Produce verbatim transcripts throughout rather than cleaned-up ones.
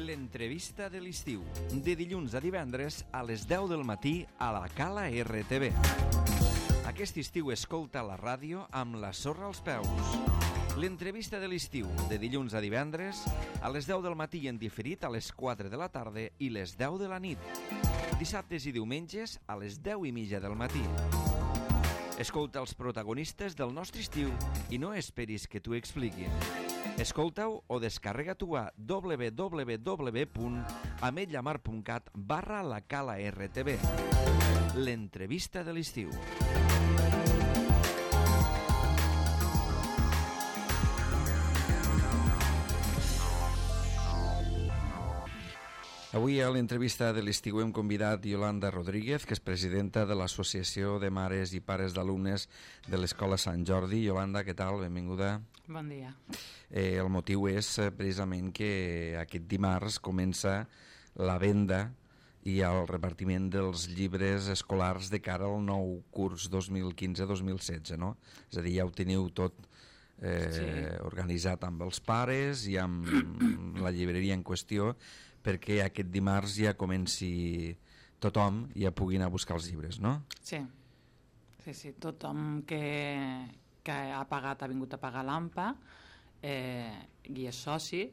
L'entrevista de l'estiu, de dilluns a divendres a les deu del matí a la Cala R T V. Aquest estiu escolta la ràdio amb la sorra als peus. L'entrevista de l'estiu, de dilluns a divendres a les deu del matí i en diferit a les quatre de la tarda i les deu de la nit. Dissabtes i diumenges a les deu i mitja del matí. Escolta els protagonistes del nostre estiu i no esperis que t'ho expliquin. Escolta-ho o descarrega-t'ho a w w w punt ametlla mar punt cat barra la Cala R T V. L'entrevista de l'estiu. Avui a l'entrevista de l'estiu hem convidat Yolanda Rodríguez, que és presidenta de l'Associació de Mares i Pares d'Alumnes de l'Escola Sant Jordi. Yolanda, què tal? Benvinguda. Bon dia. Eh, el motiu és eh, precisament que aquest dimarts comença la venda i el repartiment dels llibres escolars de cara al nou curs dos mil quinze dos mil setze, no? És a dir, ja ho teniu tot eh, sí. organitzat amb els pares i amb la llibreria en qüestió, perquè aquest dimarts ja comenci tothom i ja pugui anar a buscar els llibres, no? Sí, sí, sí. Tothom que, que ha pagat, ha vingut a pagar l'A M P A eh, i és soci,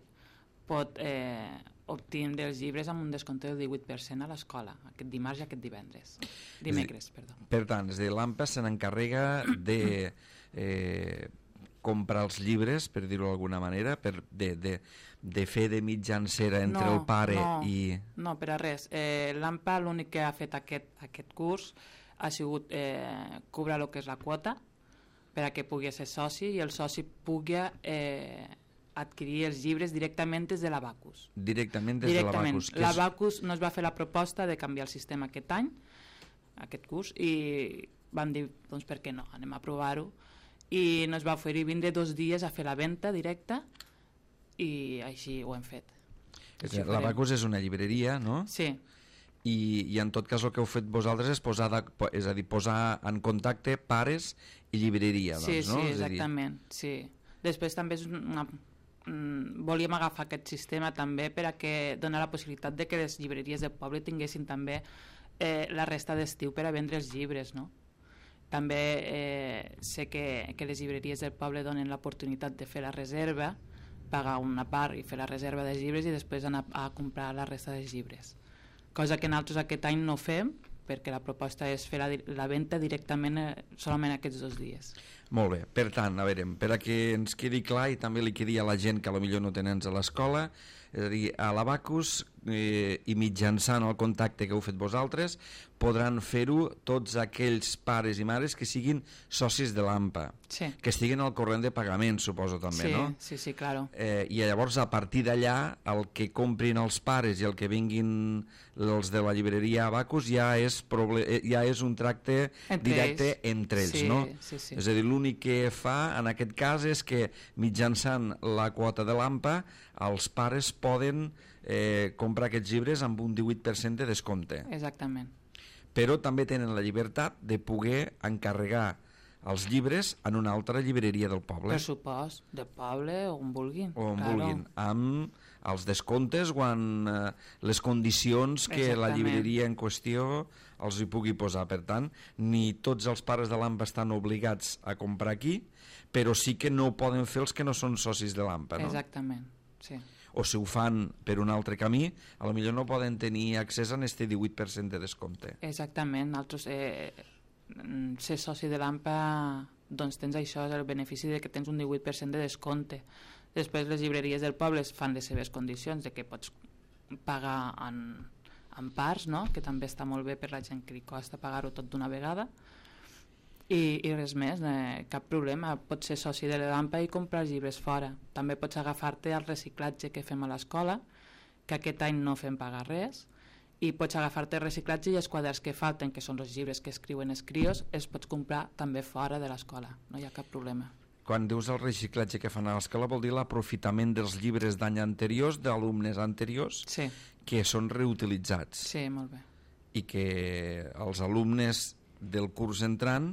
pot eh, obtindre els llibres amb un descompte del divuit per cent a l'escola, aquest dimarts i aquest divendres. Dimecres, perdó. Per tant, és a dir, l'A M P A se n'encarrega de... Eh, comprar els llibres, per dir-ho d'alguna manera, per de, de, de fer de mitjancera entre no, el pare no, i... No, per a res. Eh, L'A M P A l'únic que ha fet aquest, aquest curs ha sigut eh, cobrar el que és la quota per a que pugui ser soci i el soci pugui eh, adquirir els llibres directament des de l'Abacus. Directament des directament. de l'Abacus. L'Abacus és... no es va fer la proposta de canviar el sistema aquest any, aquest curs, i vam dir, doncs per què no, anem a provar-ho, i nos va oferir vindre dos dies a fer la venda directa i així ho hem fet. L'Abacus és una llibreria, no? Sí. I, i en tot cas el que heu fet vosaltres és posar, de, és a dir, posar en contacte pares i llibreria, doncs, sí, no? Sí, exactament, sí. Després també és una, volíem agafar aquest sistema també per a que donar la possibilitat de que les llibreries del poble tinguessin també eh, la resta d'estiu per a vendre els llibres, no? També eh, sé que, que les llibreries del poble donen l'oportunitat de fer la reserva, pagar una part i fer la reserva dels llibres i després anar a comprar la resta dels llibres. Cosa que nosaltres aquest any no fem, perquè la proposta és fer la, la venda directament eh, solament aquests dos dies. Molt bé, per tant, a veure, per a que ens quedi clar i també li quedi a la gent que potser no tenen a l'escola, és a dir, a l'Abacus eh, i mitjançant el contacte que heu fet vosaltres podran fer-ho tots aquells pares i mares que siguin socis de l'A M P A, sí. que estiguin al corrent de pagament, suposo també, sí, no? Sí, sí, claro. Eh, I llavors a partir d'allà el que comprin els pares i el que vinguin els de la llibreria Abacus ja és, ja és un tracte entre directe ells. entre ells, sí, no? Sí, sí. És a dir, l'únic que fa en aquest cas és que mitjançant la quota de l'A M P A els pares poden eh, comprar aquests llibres amb un divuit per cent de descompte. Exactament. Però també tenen la llibertat de poder encarregar els llibres en una altra llibreria del poble. Per supost, del poble, on vulguin. O on claro. vulguin, amb els descomptes o en eh, les condicions que Exactament. la llibreria en qüestió els hi pugui posar. Per tant, ni tots els pares de l'A M P A estan obligats a comprar aquí, però sí que no ho poden fer els que no són socis de l'A M P A, no? Exactament, sí. O si ho fan per un altre camí, a lo millor no poden tenir accés a este divuit per cent de descompte. Exactament, nosaltres eh, ser soci de l'A M P A doncs tens això, el benefici de que tens un divuit per cent de descompte. Després les llibreries del poble fan les seves condicions de que pots pagar en, en parts, no? Que també està molt bé per la gent que li costa pagar-ho tot d'una vegada. I, i res més, eh, cap problema, pots ser soci de l'A M P A i comprar llibres fora. També pots agafar-te al reciclatge que fem a l'escola, que aquest any no fem pagar res, i pots agafar-te el reciclatge i els quaderns que falten, que són els llibres que escriuen els crios, els pots comprar també fora de l'escola, no hi ha cap problema. Quan dius el reciclatge que fan a l'escola vol dir l'aprofitament dels llibres d'any anteriors, d'alumnes anteriors, sí. que són reutilitzats. Sí, molt bé. I que els alumnes del curs entrant,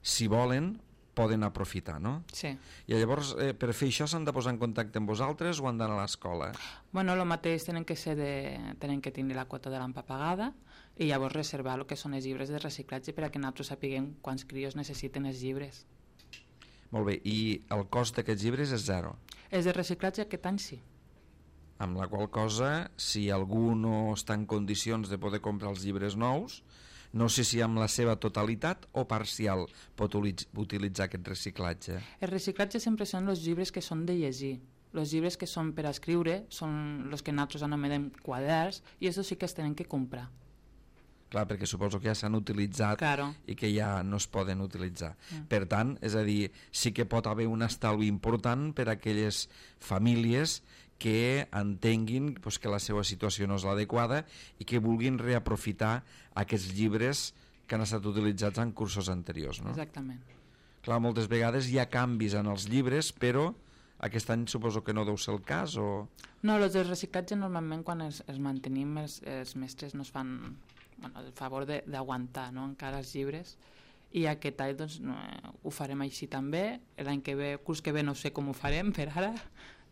si volen, poden aprofitar, no? Sí. I llavors, eh, per fer això s'han de posar en contacte amb vosaltres o han d'anar a l'escola? Bueno, el mateix tenen que ser de, tenen que tenir la quota de l'AMPA pagada i llavors reservar el que són els llibres de reciclatge per a que nosaltres sapiguem quants crios necessiten els llibres. Molt bé, i el cost d'aquests llibres és zero? Els de reciclatge aquest any sí. Amb la qual cosa, si algú no està en condicions de poder comprar els llibres nous, no sé si amb la seva totalitat o parcial pot utilitzar aquest reciclatge. El reciclatge sempre són els llibres que són de llegir. Els llibres que són per escriure són els que nosaltres anomenem quaderns i això sí que es tenen que comprar. Clar, perquè suposo que ja s'han utilitzat claro. I que ja no es poden utilitzar. Mm. Per tant, és a dir, sí que pot haver un estalvi important per a aquelles famílies que entenguin pues, que la seva situació no és l'adequada i que vulguin reaprofitar aquests llibres que han estat utilitzats en cursos anteriors. No? Exactament. Clar, moltes vegades hi ha canvis en els llibres, però aquest any suposo que no deu ser el cas, o... No, els del reciclatge normalment quan els, els mantenim els, els mestres no es fan bueno, el favor d'aguantar no? encara els llibres i aquest any doncs, no, ho farem així també. L'any que ve, curs que ve no sé com ho farem per ara,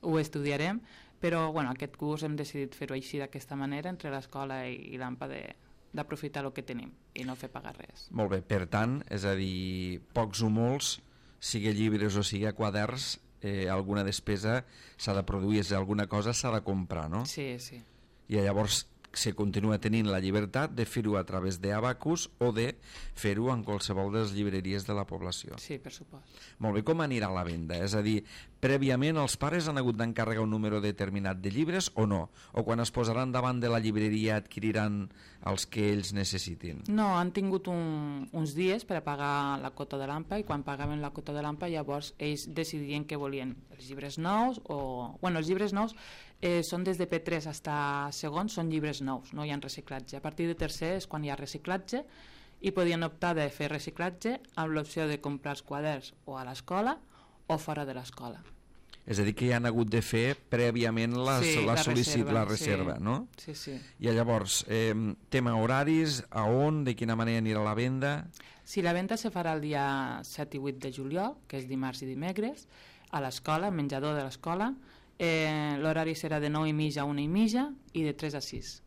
ho estudiarem, però bueno, aquest curs hem decidit fer-ho així d'aquesta manera entre l'escola i, i l'AMPA d'aprofitar el que tenim i no fer pagar res. Molt bé, per tant, és a dir, pocs o molts, sigui llibres o sigui quaderns, eh, alguna despesa s'ha de produir, és alguna cosa s'ha de comprar, no? Sí, sí. I llavors se continua tenint la llibertat de fer-ho a través d'Abacus o de fer-ho en qualsevol de les llibreries de la població. Sí, per supost. Molt bé, com anirà la venda? És a dir, prèviament els pares han hagut d'encarregar un número determinat de llibres o no? O quan es posaran davant de la llibreria adquiriran els que ells necessitin? No, han tingut un, uns dies per a pagar la quota de l'AMPA i quan pagaven la quota de l'AMPA llavors ells decidien que volien els llibres nous o... Bueno, els llibres nous eh, són des de P tres fins a segon, són llibres nous, no hi ha reciclatge. A partir de tercer és quan hi ha reciclatge i podien optar de fer reciclatge amb l'opció de comprar els quaderns o a l'escola o fora de l'escola. És a dir, que hi han hagut de fer prèviament la, sí, la, la sol·licit, reserva, la reserva, sí. no? Sí, sí. I llavors, eh, tema horaris, a on, de quina manera anirà la venda? Sí, la venda se farà el dia set i vuit de juliol, que és dimarts i dimecres, a l'escola, menjador de l'escola. Eh, l'horari serà de nou i mitja a una i mitja i de tres a sis.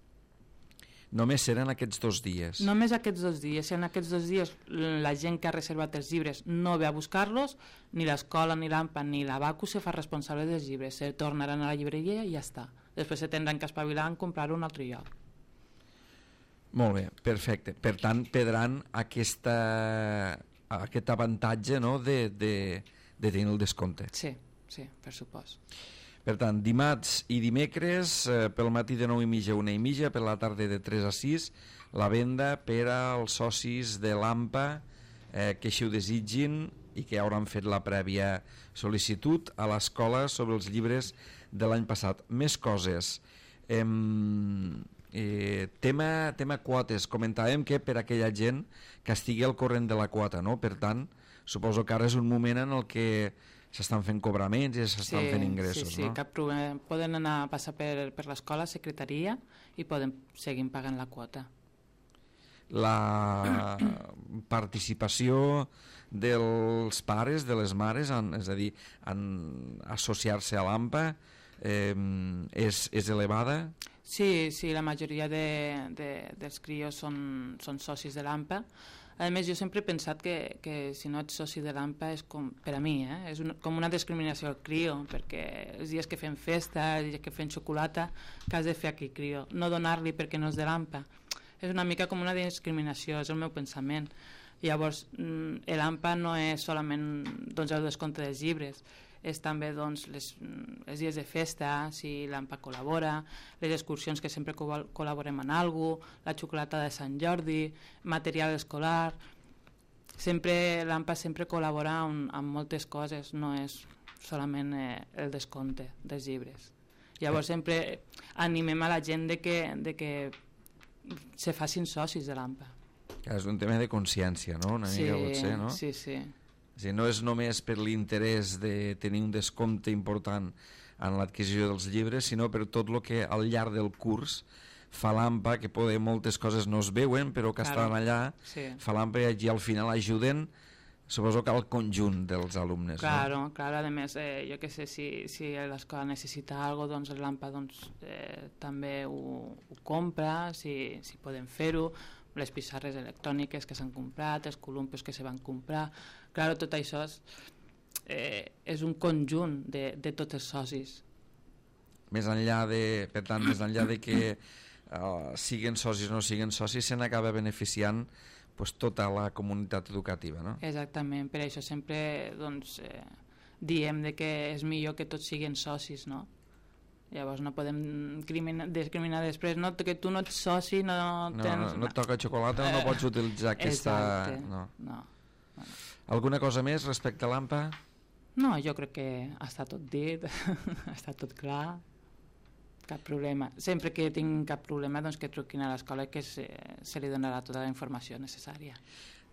Només seran aquests dos dies? Només aquests dos dies. Si en aquests dos dies la gent que ha reservat els llibres no ve a buscar-los, ni l'escola, ni l'AMPA, ni l'Abacus se fa responsable dels llibres. Se tornaran a la llibreria i ja està. Després se tindran que espavilar en comprar-ho a un altre lloc. Molt bé, perfecte. Per tant, perdran aquesta, aquest avantatge, no?, de, de, de tenir el descompte. Sí, sí, per supost. Per tant, dimarts i dimecres, eh, pel matí de nou i mitja a una i mitja, per la tarda de tres a sis, la venda per als socis de l'AMPA eh, que així ho desitgin i que hauran fet la prèvia sol·licitud a l'escola sobre els llibres de l'any passat. Més coses. Eh, eh, tema, tema quotes. Comentàvem que per aquella gent que estigui al corrent de la quota, no? Per tant, suposo que ara és un moment en el que s'estan fent cobraments i s'estan sí, fent ingressos, sí, sí, no? Cap problema. Poden anar a passar per, per l'escola, secretaria, i poden seguir pagant la quota. La participació dels pares, de les mares, en, és a dir, en associar-se a l'AMPA, eh, és, és elevada? Sí, sí, la majoria de, de, dels crios són, són socis de l'AMPA. A més, jo sempre he pensat que, que si no ets soci de l'AMPA és com, per a mi, eh, és un, com una discriminació al crio, perquè els dies que fem festa, els dies que fem xocolata, que has de fer aquell crio, no donar-li perquè no és de l'AMPA. És una mica com una discriminació, és el meu pensament. Llavors, l'AMPA no és solament doncs, el descompte dels llibres, és també doncs, les, els dies de festa, si l'AMPA col·labora, les excursions que sempre col col·laborem en alguna cosa, la xocolata de Sant Jordi, material escolar. Sempre l'AMPA sempre col·labora amb, amb moltes coses, no és solament eh, el descompte dels llibres. Llavors sempre animem a la gent de que, de que se facin socis de l'AMPA. És un tema de consciència, no? Una sí, mica potser, no? Sí, sí. O sigui, no és només per l'interès de tenir un descompte important en l'adquisició dels llibres, sinó per tot el que al llarg del curs fa l'AMPA, que poder moltes coses no es veuen, però que claro, estan allà, sí. Fa l'AMPA i al final ajuden Suposo que al conjunt dels alumnes, claro, no? Claro, a més, eh, jo que sé, si, si l'escola necessita alguna cosa, doncs el Lampa doncs, eh, també ho, ho compra, si, si podem fer-ho, les pissarres electròniques que s'han comprat, els columpios que se van comprar, claro, tot això és, eh, és un conjunt de, de tots els socis. Més enllà de, per tant, més enllà de que uh, siguin socis o no siguin socis, se n'acaba beneficiant pues, tota la comunitat educativa, no? Exactament, per això sempre doncs, eh, diem de que és millor que tots siguin socis, no? Llavors no podem discriminar, discriminar després, no, que tu no ets soci, no tens... No, no et toca xocolata, eh, no pots utilitzar aquesta... Exacte, no. no. no. Alguna cosa més respecte a l'AMPA? No, jo crec que està tot dit, està tot clar, cap problema. Sempre que tinc cap problema, doncs que truquin a l'escola que se, se li donarà tota la informació necessària.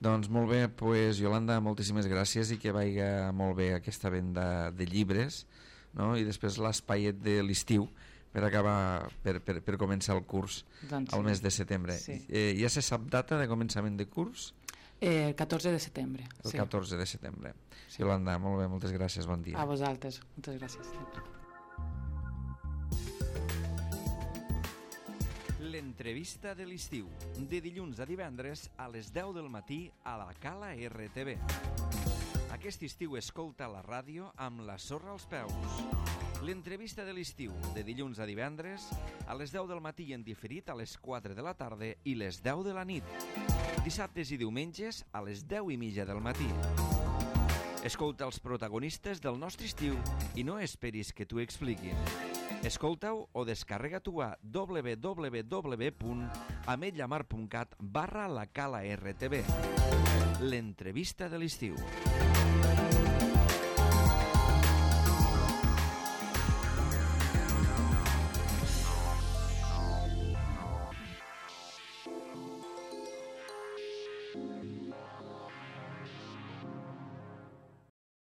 Doncs molt bé, pues, Iolanda, moltíssimes gràcies i que vagi molt bé aquesta venda de llibres, no? I després l'espaiet de l'estiu per acabar, per, per, per començar el curs doncs al sí. mes de setembre. Sí. Eh, ja se sap data de començament de curs? Eh, el catorze de setembre. El sí. catorze de setembre. Sí. Iolanda, molt bé, moltes gràcies, bon dia. A vosaltres, moltes gràcies. L'entrevista de l'estiu, de dilluns a divendres a les deu del matí a la Cala R T V. Aquest estiu escolta la ràdio amb la sorra als peus. L'entrevista de l'estiu, de dilluns a divendres a les deu del matí i en diferit a les quatre de la tarda i les deu de la nit. Dissabtes i diumenges a les deu i mitja del matí. Escolta els protagonistes del nostre estiu i no esperis que t'ho expliquin. Escolta-ho o descarrega-t'ho a w w w punt ametlllamar punt cat barra la Cala R T V. L'entrevista de l'estiu.